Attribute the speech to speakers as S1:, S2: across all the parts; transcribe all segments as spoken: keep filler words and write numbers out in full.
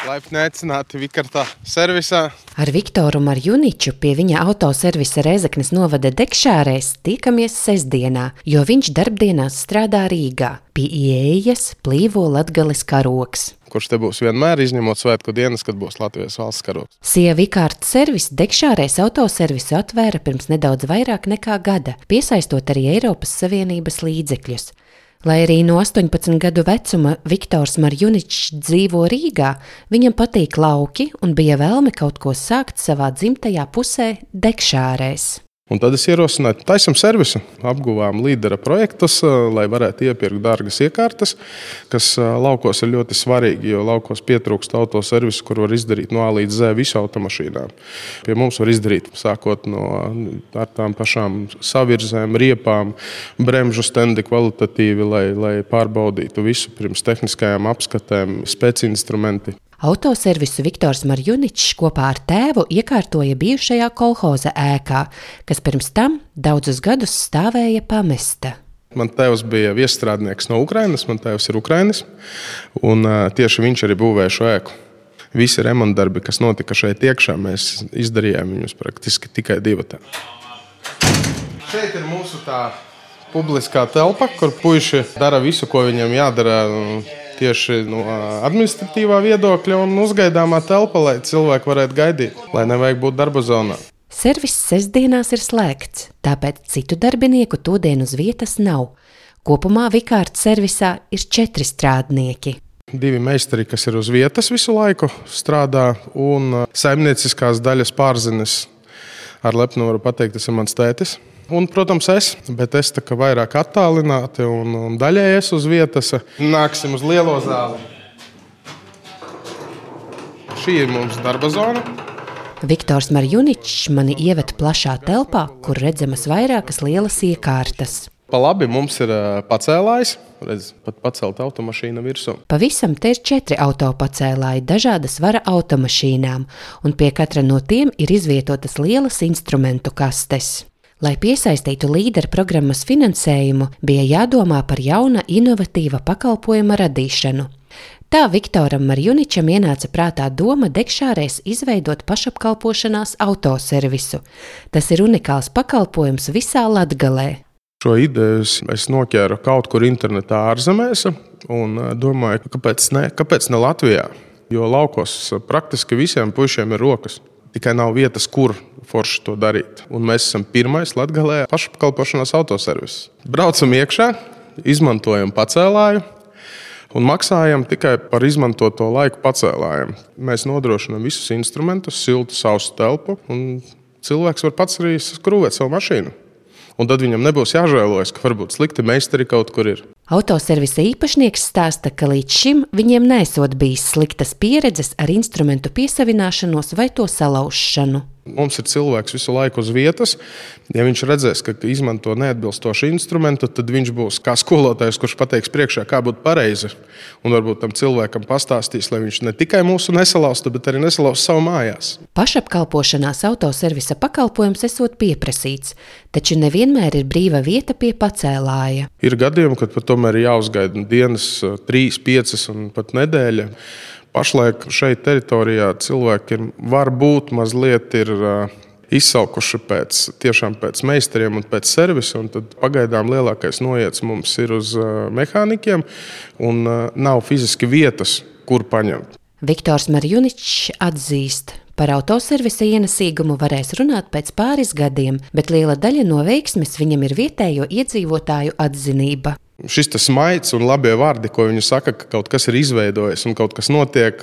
S1: Laipni aicināti Vikarta servisā.
S2: Ar Viktoru Marjuniču pie viņa autoservisa Rēzeknes novada Degšārēs tiekamies sestdienā, jo viņš darbdienās strādā Rīgā. Pie ieejas plīvo Latgales karogs,
S1: Kurš te būs vienmēr, izņemot svētku dienas, kad būs Latvijas valsts karogs.
S2: Sija Vikarta servis Degšārēs autoservisu atvēra pirms nedaudz vairāk nekā gada, piesaistot arī Eiropas Savienības līdzekļus. Lai arī no astoņpadsmit gadu vecuma Viktors Marjuničs dzīvo Rīgā, viņam patīk lauki un bija vēlme kaut ko sākt savā dzimtajā pusē Degšārēs.
S1: Un tad es ierosināju, taisam servisu, apguvām līdera projektus, lai varētu iepirkt dārgas iekārtas, kas laukos ir ļoti svarīgi, jo laukos pietrūkst autoservisu, kur var izdarīt no A līdz Z visu automašīnām. Pie mums var izdarīt sākot no ar tām pašām savirzēm, riepām, bremžu stendi kvalitatīvi, lai, lai pārbaudītu visu pirms tehniskajām apskatēm, spēcinstrumenti.
S2: Autoservisu Viktors Marjuničs kopā ar tēvu iekārtoja bijušajā kolhoza ēkā, kas pirms tam daudzus gadus stāvēja pamesta.
S1: Man tēvs bija viesstrādnieks no Ukrainas, man tēvs ir Ukrainis, un tieši viņš arī būvēja šo ēku. Visi remontdarbi, kas notika šeit iekšā, mēs izdarījām viņus praktiski tikai divatā. Šeit ir mūsu tā publiskā telpa, kur puiši dara visu, ko viņiem jādara tieši no administratīvā viedokļa, un uzgaidāmā telpa, lai cilvēki varētu gaidīt, lai nevajag būt darba zonā.
S2: Servis sestdienās ir slēgts, tāpēc citu darbinieku todien uz vietas nav. Kopumā Vikarta servisā ir četri strādnieki.
S1: Divi meistari, kas ir uz vietas visu laiku strādā, un saimnieciskās daļas pārzinis, ar lepnu varu pateikt, tas ir mans tētis. Un, protams, es, bet es tā kā vairāk attālināti un, un daļēji es uz vietas. Nāksim uz lielo zāli. Šī ir mums darba zona.
S2: Viktors Marjuničs mani ieved plašā telpā, kur redzamas vairākas lielas iekārtas.
S1: Pa labi mums ir pacēlājs, redz, pat pacelt automašīna virsū.
S2: Pavisam te ir četri autopacēlāji dažādas svara automašīnām, un pie katra no tiem ir izvietotas lielas instrumentu kastes. Lai piesaistītu līdera programmas finansējumu, bija jādomā par jauna inovatīva pakalpojuma radīšanu. Tā Viktoram Marjuničam ienāca prātā doma Degšārēs izveidot pašapkalpošanās autoservisu. Tas ir unikāls pakalpojums visā Latgalē.
S1: Šo ideju es noķēru kaut kur internetā ārzemēs un domāju, kāpēc ne, kāpēc ne Latvijā, jo laukos praktiski visiem puišiem ir rokas. Tikai nav vietas, kur forši to darīt. Un mēs esam pirmais Latgalē pašapkalpošanās autoservis. Braucam iekšā, izmantojam pacēlāju un maksājam tikai par izmantoto laiku pacēlājiem. Mēs nodrošinām visus instrumentus, siltu, sausu telpu, un cilvēks var pats arī skrūvēt savu mašīnu. Un tad viņam nebūs jāžēlojas, ka varbūt slikti meistari kaut kur ir.
S2: Autoservisa īpašnieks stāsta, ka līdz šim viņiem nesot bijis sliktas pieredzes ar instrumentu piesavināšanos vai to salaušanu.
S1: Mums ir cilvēks visu laiku uz vietas. Ja viņš redzēs, ka izmanto neatbilstošu instrumentu, tad viņš būs kā skolotājs, kurš pateiks priekšā, kā būtu pareizi. Un varbūt tam cilvēkam pastāstīs, lai viņš ne tikai mūsu nesalaustu, bet arī nesalaustu savu mājās.
S2: Pašapkalpošanās autoservisa pakalpojums esot pieprasīts, taču nevienmēr ir brīva vieta pie pacēlāja.
S1: Ir gadījumi, kad pat tomēr ir jāuzgaida dienas trīs, piecas un pat nedēļa. Pašlaik šeit teritorijā cilvēki ir, varbūt mazliet ir uh, izsalkuši pēc, tiešām pēc meistariem un pēc servisa, un tad pagaidām lielākais noiets mums ir uz uh, mehānikiem, un uh, nav fiziski vietas, kur paņemt.
S2: Viktors Marjuničs atzīst, par autoservisa ienesīgumu varēs runāt pēc pāris gadiem, bet liela daļa no veiksmes viņam ir vietējo iedzīvotāju atzinība.
S1: Šis tas smaids un labie vārdi, ko viņi saka, ka kaut kas ir izveidojis un kaut kas notiek,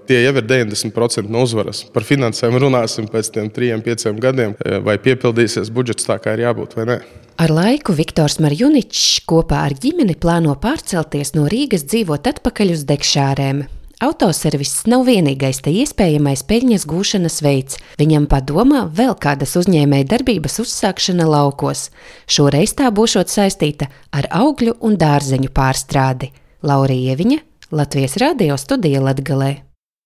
S1: tie jau ir deviņdesmit procenti no uzvaras. Par finansēm runāsim pēc tiem trim, pieciem gadiem, vai piepildīsies budžets tā, kā ir jābūt vai nē.
S2: Ar laiku Viktors Marjuničs kopā ar ģimeni plāno pārcelties no Rīgas dzīvot atpakaļ uz Degšārēm. Autoserviss nav vienīgais te iespējamais peļņas gūšanas veids. Viņam padomā vēl kādas uzņēmēja darbības uzsākšana laukos. Šoreiz tā būšot saistīta ar augļu un dārzeņu pārstrādi. Laura Ieviņa, Latvijas radio studija Latgalē.